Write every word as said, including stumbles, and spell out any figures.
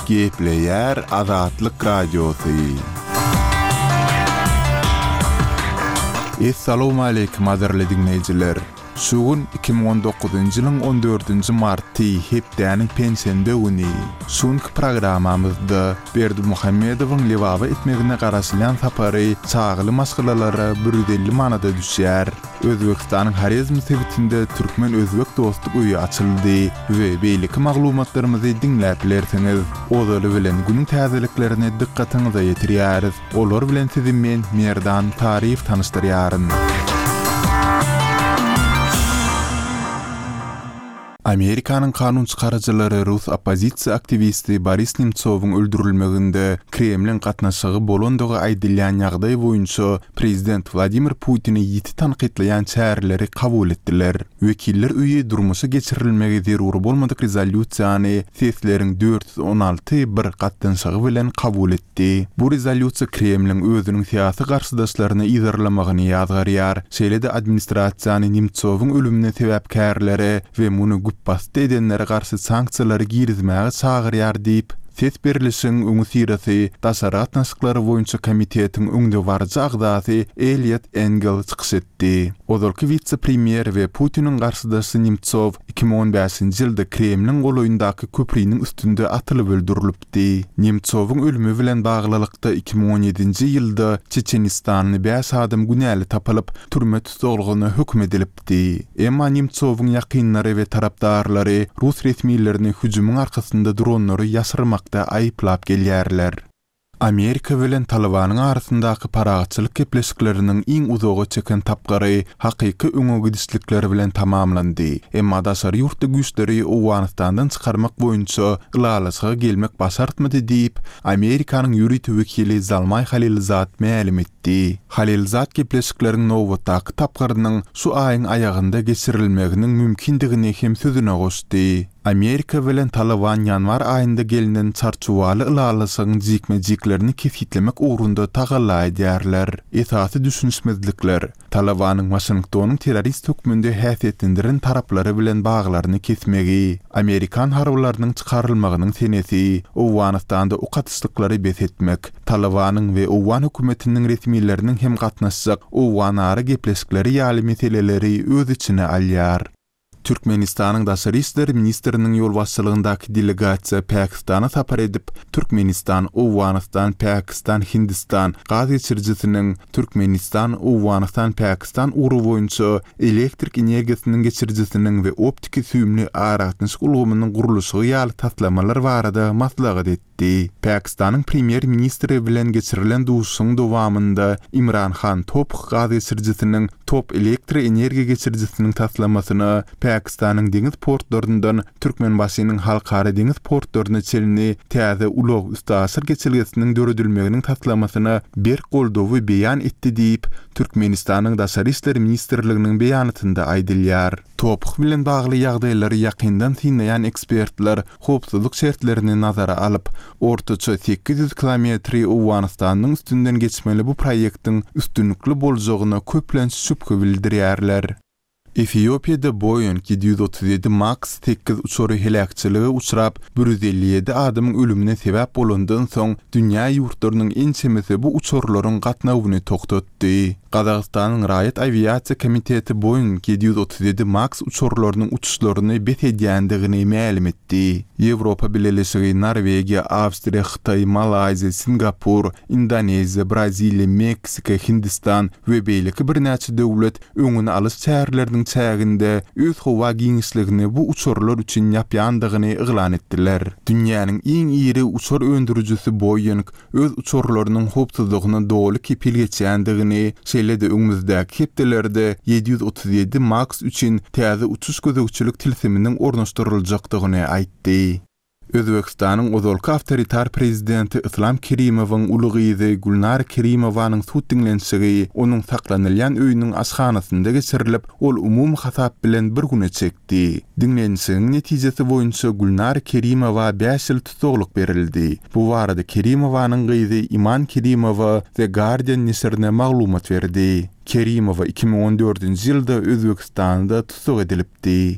Gepleýär Azatlyk Radiosy. Essalawmaleýkim gadyrly diňleýjiler! Şu gün iki müň on dokuzynjy ýylyň on dördünji marty, hepdäniň penşenbe güni. Şu günki programmamyzda Berdimuhamedowyň Lebaba etmegine garaşylýan sapary çagaly maşgalalara bir ýüz elli manada düşýär. Özbegistanyň Horezm sebitinde Türkmen-özbek dostluk öýi açyldy we beýleki maglumatlarymyzy diňläp bilersiňiz. Ozaly bilen günüň täzeliklerini dykgatyňyza ýetirýäris. Olar bilen sizi men, Merdan Taryýew tanyşdyrýaryn. Amerikanyň kanun çykaryjylary rus oppozisiýa aktiwisti Boris Nemtsowyň öldürilmeginde Kremliň gatnaşygy bolandygy aýdylýan ýagdaý boýunça prezident Wladimir Putini ýiti tankytlaýan çäreleri kabul etdiler. Wekiller öýi durmuşa geçirilmegi zerur bolmadyk rezolýusiýany sesleriň dört ýüz on alty bir gatnaşygy bilen kabul etdi. Bu rezolýusiýa Kremliň özüniň syýasy garşydaşlaryny yzarlamagyny ýazgarýar, şeýle-de administrasiýany Nemtsowyň ölümine sebäpkärlere we muny güpbasdy edenlere garşy sanksiýalary girizmäge çagyrýar diýip, ses berlişigiň öňüsyrasy Daşary gatnaşyklary boýunça komitetiň öňdebaryjy agzasy Eliot Engel çykyş etdi. Ozalky wise-premýer we Putiniň garşydaşy Nemtsow iki müň on bäşinji ýylda Kremliň golaýyndaky köpriniň üstünde atylyp öldürilipdi. Nemtsowyň ölümi bilen baglylykda iki müň on ýedinji ýylda Çeçenistanly bäş adam günäli tapylyp, türme tussaglygyna höküm edilipdi. Emma Nemtsowyň ýakynlary we tarapdarlary rus resmilerini hüjümiň arkasynda duranlary ýaşyrmakda aýyplap gelýärler. Amerika bilen Talybanyň arasyndaky parahatçylyk gepleşikleriniň iň uzaga çeken tapgyry hakyky öňe gidişlikler bilen tamamlandy. Emma daşary ýurtly güýçleri Owganystandan çykarmak boýunça ylalaşyga gelmek başartmady diýip, Amerikanyň ýörite wekili Zalmaý Halilzad mälim etdi. Halilzad gepleşikleriň nobatdaky tapgyrynyň şu aýyň aýagynda geçirilmeginiň mümkindigini hem sözüne goşdy. Amerika bilen Talyban ýanwar aýynda gelnen çarçuwaly ylalaşygyň jikme-jiklerini kesgitlemek ugrunda tagalla edýärler. Esasy düşünişmezlikler Talybanyň Waşingtonyň terrorist hökmünde häsiýetlendiren taraplary bilen baglaryny kesmegi, Amerikan harbylarynyň çykarylmagynyň senesi, Owganystanda ok atyşlyklary bes etmek, Talybanyň we Owgan hökümetiniň resmileriniň hem gatnaşjak Owganara gepleşikleri ýaly meseleleri öz içine alýar. Türkmenistanyň Daşary işler ministriniň ýolbaşçylygyndaky delegasiýa Pakistana sapar edip, Türkmenistan, Owganystan, Pakistan, Hindistan gaz geçirijisiniň Türkmenistan, Owganystan, Pakistan ugry boýunça elektrik energiýasynyň geçirijisiniň we optiki süýümli aragatnaşyk ulgamynyň gurluşygy ýaly taslamalar barada maslahat etdi. Pakistanyň premýer-ministri bilen geçirilen duşuşygyň dowamynda Imran Han Top gaz geçirijisiniň Top elektroenergiýa geçirijisiniň taslamasyna Pakistanyň deňiz portlaryndan Türkmenbaşynyň halkara deňiz portlaryna çenli täze ulag üstaşyr geçelgesiniň döredilmeginiň taslamasyna berk goldawy beýan etdi diýip, Türkmenistanyň Daşary işler ministrliginiň beýanatynda aýdylýar. Top bilen bagly ýagdaýlary ýakyndan synlaýan ekspertler howpsuzlyk şertlerini nazara alyp, ortaça sekiz ýüz kilometri Owganystanyň üstünden geçmeli bu proýektiň üstünlikli boljagyna köplenç şübhe bildirýärler. Efiopiýada Boeing ýedi ýüz otuz ýedi Max sekiz uçary heläkçilige uçrap, bir ýüz elli ýedi adamyň ölümine sebäp bolandan soň dünýä ýurtlarynyň ençemesi bu uçarlaryň gatnawyny togtatdy. Gazagystanyň Raýat awiasiýa komiteti Boeing ýedi ýüz otuz ýedi Max uçarlarynyň uçuşlaryny bes edýändigini mälim etdi. Ýewropa Bileleşigi, Norwegiýa, Awstriýa, Hytaý, Malaýziýa, Singapur, Indoneziýa, Braziliýa, Meksika, Hindistan we beýleki birnäçe döwlet öňüni alyş çäreleriniň çäginde öz howa giňişligini bu uçarlar üçin ýapýandygyny yglan etdiler. Dünýäniň iň iri uçar öndürijisi Boeing öz uçarlarynyň howpsuzlygyna doly kepil geçýändigini, şeýle-de öňümizdäki hepdelerde ýedi ýüz otuz ýedi Max üçin täze uçuş gözegçilik tilsiminiň ornaşdyryljakdygyny aýtdy. Özbegistanyň ozalky awtoritar prezidenti Yslam Kerimowyň uly gyzy Gülnara Kerimowanyň sud diňlenişigi onuň saklanylýan öýüniň aşhanasynda geçirilip, ol umumy hasap bilen bir güne çekdi. Diňlenişigiň netijesi boýunça Gülnara Kerimowa bäş ýyl tussaglyk berildi. Bu barada Kerimowanyň gyzy Iman Kerimowa The Guardian neşirine maglumat berdi. Kerimowa iki müň on dördünji ýylda Özbegistanda tussag edilipdi.